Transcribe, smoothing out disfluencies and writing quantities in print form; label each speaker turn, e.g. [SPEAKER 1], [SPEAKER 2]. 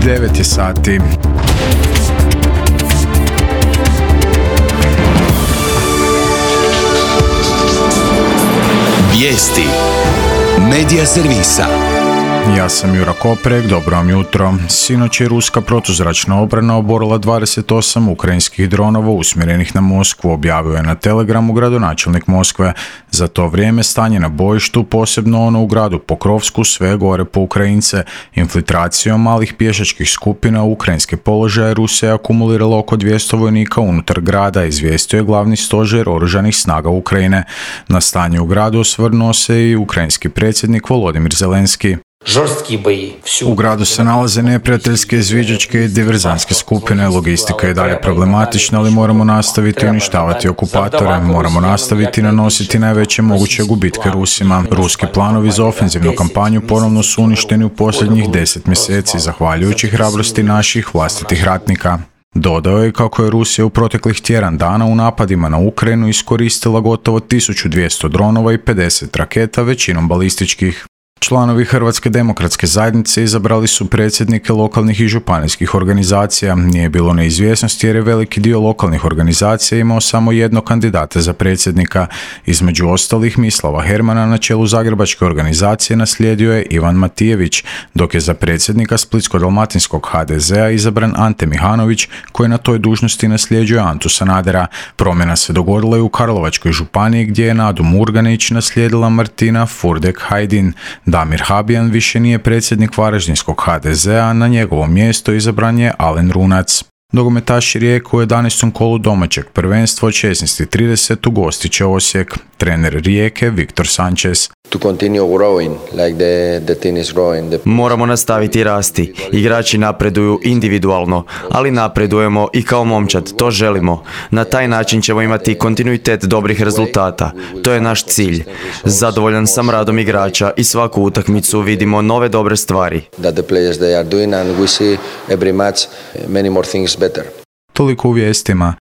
[SPEAKER 1] 9 je sati.
[SPEAKER 2] Vijesti Medija servisa.
[SPEAKER 1] Ja sam Jura Koprek, dobro vam jutro. Sinoć je ruska protuzračna obrana oborila 28 ukrajinskih dronova usmjerenih na Moskvu, objavio je na Telegramu gradonačelnik Moskve. Za to vrijeme stanje na bojištu, posebno ono u gradu Pokrovsku, sve gore po Ukrajince. Infiltracijom malih pješačkih skupina u ukrajinske položaje Rusija je akumulirala oko 200 vojnika unutar grada, izvijestio je glavni stožer oružanih snaga Ukrajine. Na stanje u gradu osvrnuo se i ukrajinski predsjednik Volodimir Zelenski. U gradu se nalaze neprijateljske izviđačke i diverzantske skupine. Logistika je dalje problematična, ali moramo nastaviti uništavati okupatore. Moramo nastaviti nanositi najveće moguće gubitke Rusima. Ruski planovi za ofenzivnu kampanju ponovno su uništeni u posljednjih 10 mjeseci, zahvaljujući hrabrosti naših vlastitih ratnika. Dodao je kako je Rusija u proteklih tjedan dana u napadima na Ukrajinu iskoristila gotovo 1200 dronova i 50 raketa, većinom balističkih. Članovi Hrvatske demokratske zajednice izabrali su predsjednike lokalnih i županijskih organizacija. Nije bilo neizvjesnosti jer je veliki dio lokalnih organizacija imao samo jednog kandidata za predsjednika. Između ostalih Mislava Hermana na čelu Zagrebačke organizacije naslijedio je Ivan Matijević, dok je za predsjednika Splitsko-dalmatinskog HDZ-a izabran Ante Mihanović, koji na toj dužnosti nasljeđuje Antu Sanadera. Promjena se dogodila i u Karlovačkoj županiji gdje je Nadu Murganić naslijedila Martina Furdek-Hajdin. Damir Habijan više nije predsjednik Varaždinskog HDZ-a, na njegovo mjesto izabran je Alen Runac. Nogometaši Rijeke u 11. kolu domaćeg prvenstva od 16:30 ugostit će Osijek. Trener Rijeke Viktor Sanchez.
[SPEAKER 3] Moramo nastaviti rasti. Igrači napreduju individualno, ali napredujemo i kao momčad, to želimo. Na taj način ćemo imati kontinuitet dobrih rezultata. To je naš cilj. Zadovoljan sam radom igrača i svaku utakmicu vidimo nove dobre stvari.
[SPEAKER 1] Toliko u vijestima.